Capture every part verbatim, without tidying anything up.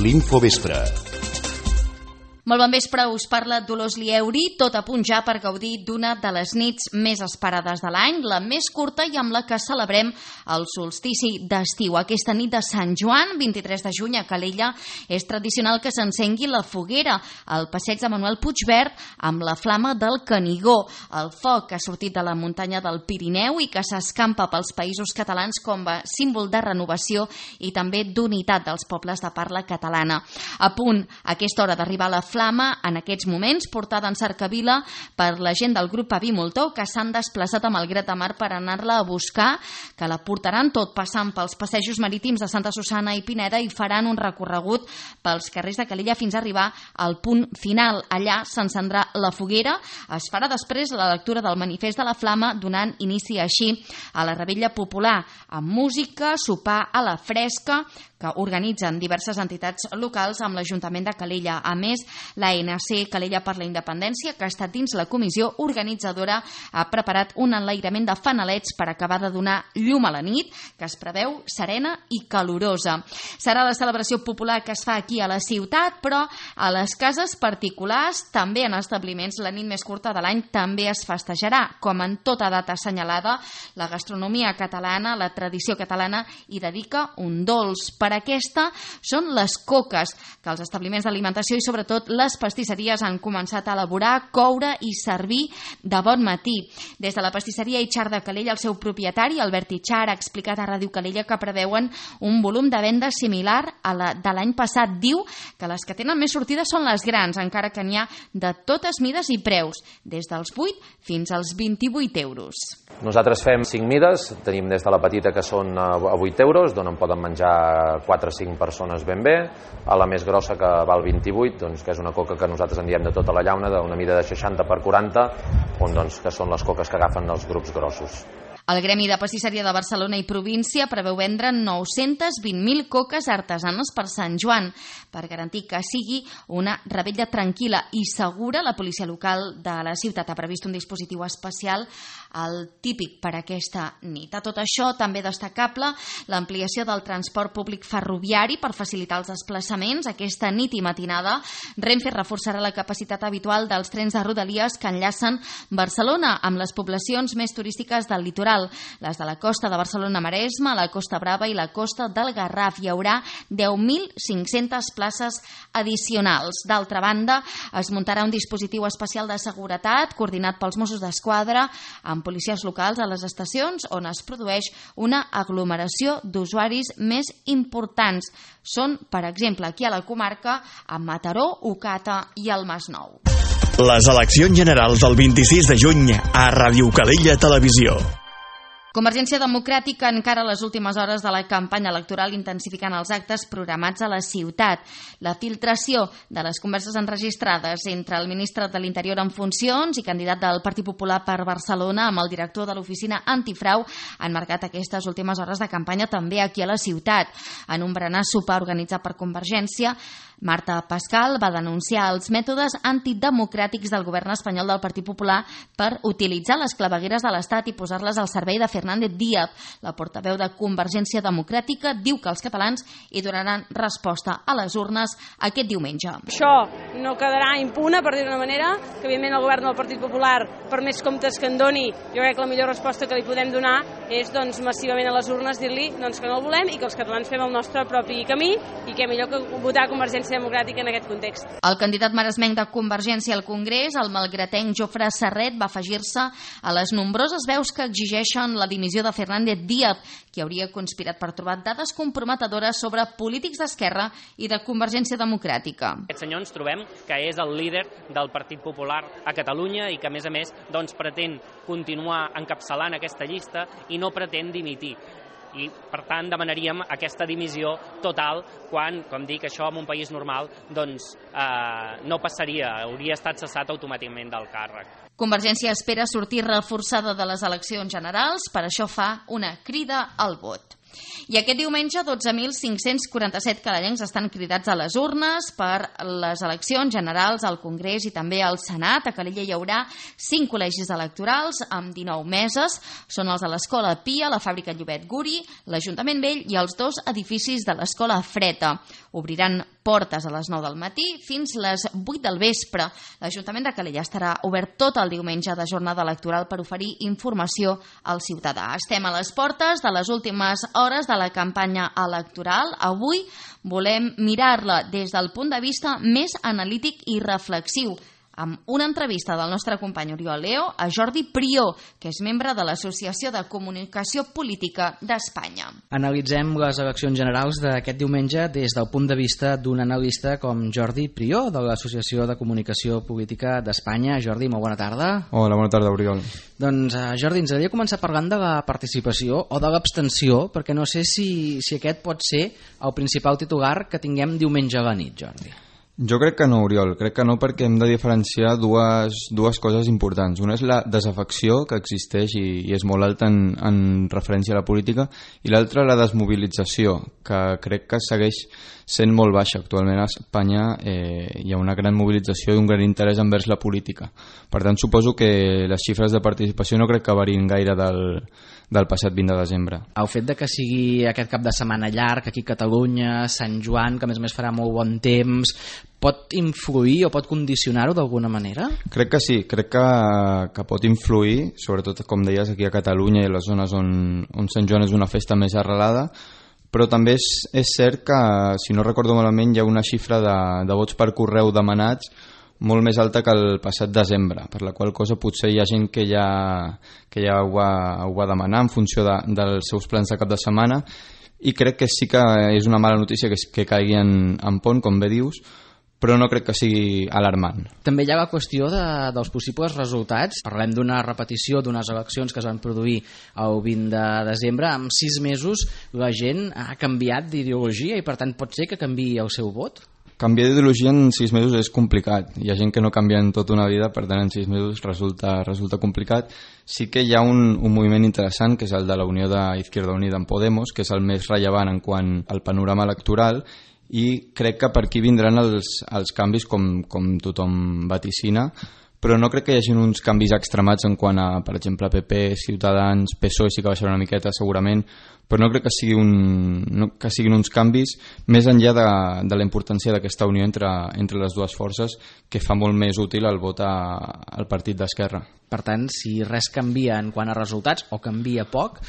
l'Infovespre. Molt bon vespre, us parla Dolors Lieuri, tot a punt ja per gaudir d'una de les nits més esperades de l'any, la més curta i amb la que celebrem el solstici d'estiu. Aquesta nit de Sant Joan, vint-i-tres de juny, a Calella, és tradicional que s'encengui la foguera al passeig de Manuel Puigverd amb la flama del Canigó, el foc que ha sortit de la muntanya del Pirineu i que s'escampa pels països catalans com a símbol de renovació i també d'unitat dels pobles de parla catalana. A punt, a aquesta hora d'arribar a la flama, en aquests moments, portada en cercavila per la gent del grup Avi Moltó, que s'han desplaçat amb el Gret de Mar per anar-la a buscar, que la portaran tot passant pels passejos marítims de Santa Susanna i Pineda i faran un recorregut pels carrers de Calella fins a arribar al punt final. Allà s'encendrà la foguera. Es farà després la lectura del manifest de la flama, donant inici així a la revetlla popular, amb música, sopar a la fresca, que organitzen diverses entitats locals amb l'Ajuntament de Calella. A més, l'A N C Calella per la Independència, que ha estat dins la comissió organitzadora, ha preparat un enlairament de fanalets per acabar de donar llum a la nit, que es preveu serena i calorosa. Serà la celebració popular que es fa aquí a la ciutat, però a les cases particulars, també en establiments, la nit més curta de l'any també es festejarà. Com en tota data assenyalada, la gastronomia catalana, la tradició catalana, hi dedica un dolç. Per aquesta són les coques, que els establiments d'alimentació i sobretot les pastisseries han començat a elaborar, coure i servir de bon matí. Des de la pastisseria Itxar de Calella, el seu propietari, Albert Itxar, ha explicat a Ràdio Calella que preveuen un volum de venda similar a la de l'any passat. Diu que les que tenen més sortida són les grans, encara que n'hi ha de totes mides i preus, des dels vuit fins als vint-i-vuit euros. Nosaltres fem cinc mides, tenim des de la petita que són a vuit euros, d'on en poden menjar quatre o cinc persones ben bé, a la més grossa que val vint-i-vuit, doncs, que és una coca que nosaltres en diem de tota la llauna, d'una mida de seixanta per quaranta, on, doncs, que són les coques que agafen els grups grossos. El Gremi de Pastisseria de Barcelona i província preveu vendre nou-cents vint mil coques artesanes per Sant Joan. Per garantir que sigui una revetlla tranquil·la i segura, la policia local de la ciutat ha previst un dispositiu especial, el típic per aquesta nit. A tot això, també destacable l'ampliació del transport públic ferroviari per facilitar els desplaçaments. Aquesta nit i matinada, Renfe reforçarà la capacitat habitual dels trens de Rodalies que enllacen Barcelona amb les poblacions més turístiques del litoral, les de la costa de Barcelona-Maresme, la Costa Brava i la costa del Garraf. Hi haurà deu mil cinc-centes places addicionals. D'altra banda, es muntarà un dispositiu especial de seguretat coordinat pels Mossos d'Esquadra amb policies locals a les estacions on es produeix una aglomeració d'usuaris més importants. Són, per exemple, aquí a la comarca, a Mataró, Ocata i el Masnou. Les eleccions generals del vint-i-sis de juny a Ràdio Calella Televisió. Convergència Democràtica encara a les últimes hores de la campanya electoral intensificant els actes programats a la ciutat. La filtració de les converses enregistrades entre el ministre de l'Interior en funcions i candidat del Partit Popular per Barcelona amb el director de l'oficina antifrau han marcat aquestes últimes hores de campanya també aquí a la ciutat. En un berenar sopar organitzat per Convergència, Marta Pascal va denunciar els mètodes antidemocràtics del govern espanyol del Partit Popular per utilitzar les clavegueres de l'Estat i posar-les al servei de Fernández Díaz. La portaveu de Convergència Democràtica diu que els catalans hi donaran resposta a les urnes aquest diumenge. Això no quedarà impune, per dir d'una manera, que evidentment el govern del Partit Popular, per més comptes que en doni, jo crec que la millor resposta que li podem donar és doncs, massivament a les urnes dir-li doncs, que no el volem i que els catalans fem el nostre propi camí i que millor que votar Convergència Democràtica en aquest context. El candidat maresmenc de Convergència al Congrés, el malgratenc Jofre Serret, va afegir-se a les nombroses veus que exigeixen la dimissió de Fernández Díaz, qui hauria conspirat per trobar dades comprometedores sobre polítics d'esquerra i de Convergència Democràtica. Aquest senyor ens trobem que és el líder del Partit Popular a Catalunya i que, a més a més, doncs, pretén continuar encapçalant aquesta llista i no pretén dimitir. I, per tant, demanaríem aquesta dimissió total quan, com dic, això en un país normal doncs, eh, no passaria, hauria estat cessat automàticament del càrrec. Convergència espera sortir reforçada de les eleccions generals, per això fa una crida al vot. I aquest diumenge dotze mil cinc-cents quaranta-set cadalencs estan cridats a les urnes per les eleccions generals al Congrés i també al Senat. A Calella hi haurà cinc col·legis electorals amb dinou meses. Són els de l'Escola Pia, la Fàbrica Llobet Guri, l'Ajuntament Vell i els dos edificis de l'Escola Freta. Obriran portes a les nou del matí fins les vuit del vespre. L'Ajuntament de Calella estarà obert tot el diumenge de jornada electoral per oferir informació al ciutadà. Estem a les portes de les últimes hores de la campanya electoral. Avui volem mirar-la des del punt de vista més analític i reflexiu, amb una entrevista del nostre company Oriol Leo a Jordi Prió, que és membre de l'Associació de Comunicació Política d'Espanya. Analitzem les eleccions generals d'aquest diumenge des del punt de vista d'un analista com Jordi Prió, de l'Associació de Comunicació Política d'Espanya. Jordi, molt bona tarda. Hola, bona tarda, Oriol. Doncs, uh, Jordi, ens agradaria començar parlant de la participació o de l'abstenció, perquè no sé si, si aquest pot ser el principal titular que tinguem diumenge a la nit, Jordi. Jo crec que no, Oriol, crec que no, perquè hem de diferenciar dues, dues coses importants. Una és la desafecció que existeix i, i és molt alta en, en referència a la política, i l'altra la desmobilització, que crec que segueix sent molt baixa. Actualment a Espanya eh, hi ha una gran mobilització i un gran interès envers la política. Per tant, suposo que les xifres de participació no crec que varien gaire del, del passat vint de desembre. El fet de que sigui aquest cap de setmana llarg aquí a Catalunya, Sant Joan, que a més a més farà molt bon temps, pot influir o pot condicionar-ho d'alguna manera? Crec que sí, crec que, que pot influir, sobretot com deies aquí a Catalunya i a les zones on, on Sant Joan és una festa més arrelada, però també és, és cert que, si no recordo malament, hi ha una xifra de, de vots per correu demanats molt més alta que el passat desembre, per la qual cosa potser hi ha gent que ja, que ja ho, va, ho va demanar en funció de, dels seus plans de cap de setmana, i crec que sí que és una mala notícia que, que caigui en, en pont, com bé dius, però no crec que sigui alarmant. També hi ha la qüestió de, dels possibles resultats. Parlem d'una repetició d'unes eleccions que es van produir el vint de desembre. En sis mesos la gent ha canviat d'ideologia i per tant pot ser que canviï el seu vot? Canviar d'ideologia en sis mesos és complicat. Hi ha gent que no canvia en tota una vida, per tant en sis mesos resulta, resulta complicat. Sí que hi ha un, un moviment interessant, que és el de la Unió d'Izquierda Unida en Podemos, que és el més rellevant en quant al panorama electoral, i crec que per aquí vindran els, els canvis com, com tothom vaticina, però no crec que hi hagi uns canvis extremats en quant a, per exemple, P P, Ciutadans, P S O E sí que baixarà una miqueta segurament, però no crec que, sigui un, no, que siguin uns canvis més enllà de, de la importància d'aquesta unió entre, entre les dues forces, que fa molt més útil el vot a, al partit d'Esquerra. Per tant, si res canvia en quant a resultats, o canvia poc,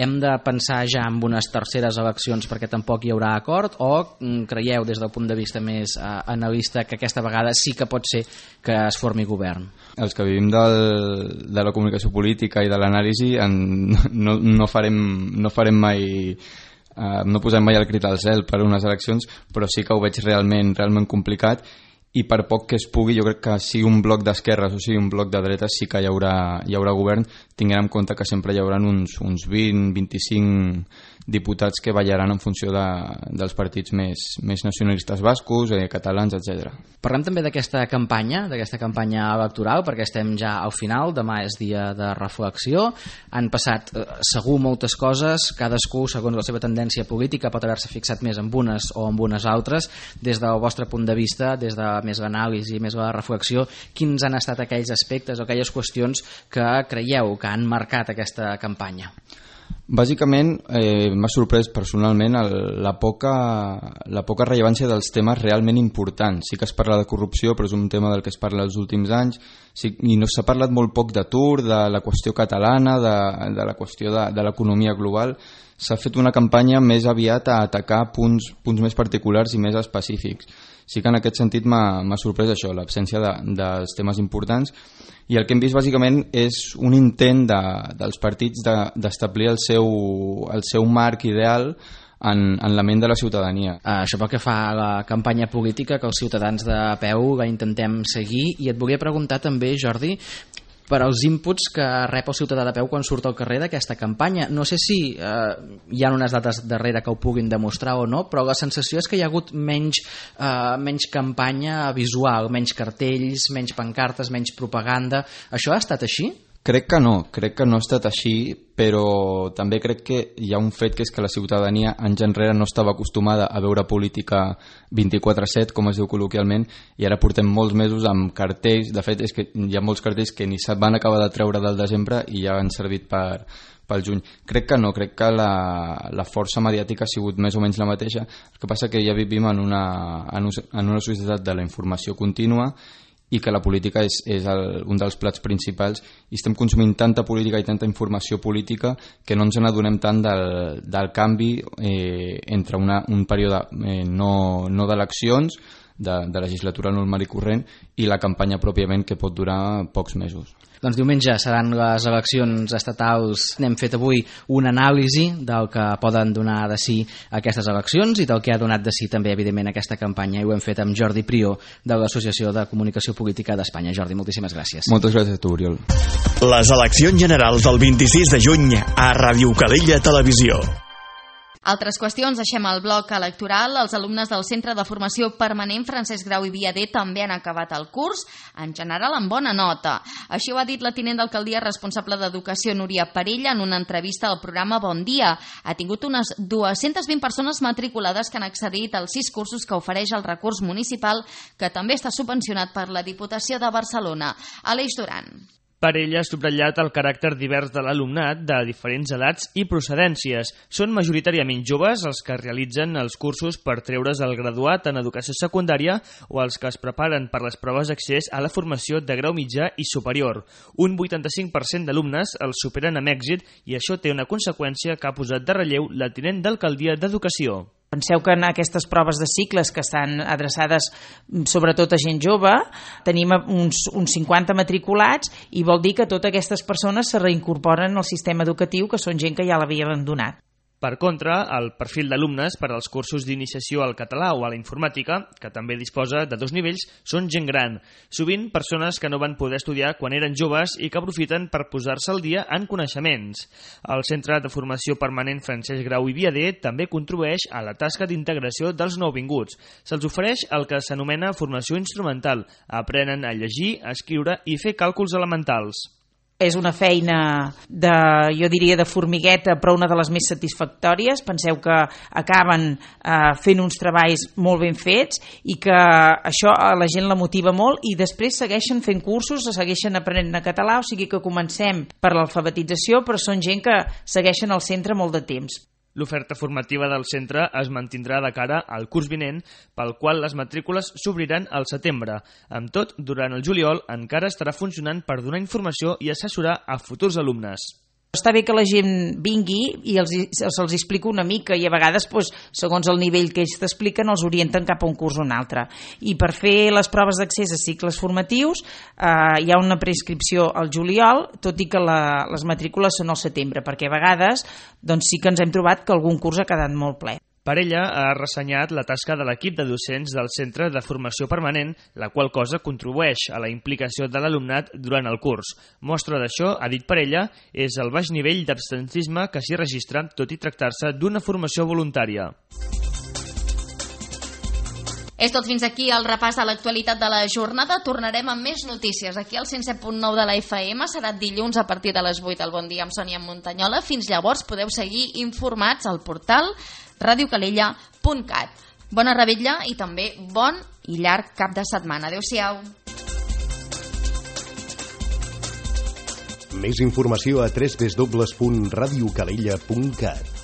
hem de pensar ja en unes terceres eleccions perquè tampoc hi haurà acord, o creieu des del punt de vista més eh, analista que aquesta vegada sí que pot ser que es formi govern? Els que vivim del, de la comunicació política i de l'anàlisi no, no, farem, no farem mai... Eh, no posem mai el crit al cel per unes eleccions, però sí que ho veig realment, realment complicat, i per poc que es pugui, jo crec que sigui un bloc d'esquerres o sigui un bloc de dretes, sí que hi haurà, hi haurà govern, tinguent en compte que sempre hi haurà uns, uns vint a vint-i-cinc diputats que ballaran en funció de, dels partits més, més nacionalistes bascos, eh, catalans, etcètera. Parlem també d'aquesta campanya, d'aquesta campanya electoral, perquè estem ja al final, demà és dia de reflexió, han passat eh, segur moltes coses, cadascú segons la seva tendència política pot haver-se fixat més en unes o en unes altres. Des del vostre punt de vista, des de més l'anàlisi, més la reflexió, quins han estat aquells aspectes o aquelles qüestions que creieu que han marcat aquesta campanya? Bàsicament eh, m'ha sorprès personalment el, la, poca, la poca rellevància dels temes realment importants. Sí que es parla de corrupció, però és un tema del que es parla els últims anys, sí, i no s'ha parlat molt poc d'atur, de la qüestió catalana, de, de la qüestió de, de l'economia global. S'ha fet una campanya més aviat a atacar punts, punts més particulars i més específics. Sí que en aquest sentit m'ha sorprès això, l'absència de, dels temes importants, i el que hem vist bàsicament és un intent de, dels partits d'establir de, el, seu, el seu marc ideal en, en la ment de la ciutadania. Uh, això pel que fa a la campanya política, que els ciutadans de peu la intentem seguir, i et volia preguntar també, Jordi, per als inputs que rep el ciutadà de peu quan surt al carrer d'aquesta campanya. No sé si eh, hi ha unes dates darrere que ho puguin demostrar o no, però la sensació és que hi ha hagut menys, eh, menys campanya visual, menys cartells, menys pancartes, menys propaganda. Això ha estat així? Crec que no, crec que no ha estat així, però també crec que hi ha un fet, que és que la ciutadania anys enrere no estava acostumada a veure política vint-i-quatre set, com es diu col·loquialment, i ara portem molts mesos amb cartells. De fet, és que hi ha molts cartells que ni se'n van acabar de treure del desembre i ja han servit per, pel juny. Crec que no, crec que la, la força mediàtica ha sigut més o menys la mateixa. El que passa que ja vivim en una, en una societat de la informació contínua i que la política és, és el, un dels plats principals, i estem consumint tanta política i tanta informació política que no ens n'adonem tant del, del canvi eh, entre una, un període eh, no, no d'eleccions, de, de legislatura normal i corrent, i la campanya pròpiament, que pot durar pocs mesos. Doncs diumenge seran les eleccions estatals. N'hem fet avui una anàlisi del que poden donar de si aquestes eleccions i del que ha donat de si també, evidentment, aquesta campanya, i ho hem fet amb Jordi Prió, de l'Associació de Comunicació Política d'Espanya. Jordi, moltíssimes gràcies. Moltes gràcies a tu, Oriol. Les eleccions generals del vint-i-sis de juny a Ràdio Calella Televisió. Altres qüestions, deixem el bloc electoral. Els alumnes del Centre de Formació Permanent Francesc Grau i Viader també han acabat el curs, en general amb bona nota. Així ho ha dit la tinent d'alcaldia responsable d'Educació, Núria Parella, en una entrevista al programa Bon Dia. Ha tingut unes dues-centes vint persones matriculades que han accedit als sis cursos que ofereix el recurs municipal, que també està subvencionat per la Diputació de Barcelona. Aleix Duran. Parella ha subratllat el caràcter divers de l'alumnat de diferents edats i procedències. Són majoritàriament joves els que realitzen els cursos per treure's el graduat en educació secundària o els que es preparen per les proves d'accés a la formació de grau mitjà i superior. Un vuitanta-cinc per cent d'alumnes els superen amb èxit i això té una conseqüència que ha posat de relleu la tinent d'alcaldia d'Educació. Penseu que en aquestes proves de cicles que estan adreçades sobretot a gent jove, tenim uns, uns cinquanta matriculats i vol dir que totes aquestes persones se reincorporen al sistema educatiu, que són gent que ja l'havia abandonat. Per contra, el perfil d'alumnes per als cursos d'iniciació al català o a la informàtica, que també disposa de dos nivells, són gent gran. Sovint persones que no van poder estudiar quan eren joves i que aprofiten per posar-se al dia en coneixements. El Centre de Formació Permanent Francesc Grau i Viader també contribueix a la tasca d'integració dels nouvinguts. Se'ls ofereix el que s'anomena formació instrumental. Aprenen a llegir, a escriure i fer càlculs elementals. És una feina, de, jo diria, de formigueta, però una de les més satisfactòries. Penseu que acaben eh, fent uns treballs molt ben fets i que això a la gent la motiva molt i després segueixen fent cursos, segueixen aprenent català, o sigui que comencem per l'alfabetització, però són gent que segueixen al centre molt de temps. L'oferta formativa del centre es mantindrà de cara al curs vinent, pel qual les matrícules s'obriran al setembre. Amb tot, durant el juliol encara estarà funcionant per donar informació i assessorar a futurs alumnes. Està bé que la gent vingui i els, se'ls explica una mica i a vegades, doncs, segons el nivell que ells t'expliquen, els orienten cap a un curs o un altre. I per fer les proves d'accés a cicles formatius eh, hi ha una prescripció al juliol, tot i que la, les matrícules són al setembre, perquè a vegades doncs, sí que ens hem trobat que algun curs ha quedat molt ple. Parella ha ressenyat la tasca de l'equip de docents del Centre de Formació Permanent, la qual cosa contribueix a la implicació de l'alumnat durant el curs. Mostra d'això, ha dit Parella, és el baix nivell d'absentisme que s'hi registra, tot i tractar-se d'una formació voluntària. És tot fins aquí el repàs de l'actualitat de la jornada. Tornarem amb més notícies aquí al cent set punt nou de la F M. Serà dilluns a partir de les vuit al Bon Dia amb Sònia Montanyola. Fins llavors podeu seguir informats al portal radio calella punt cat. Bona revetlla i també bon i llarg cap de setmana. Adéu-siau. Més informació a w w w punt radio calella punt cat.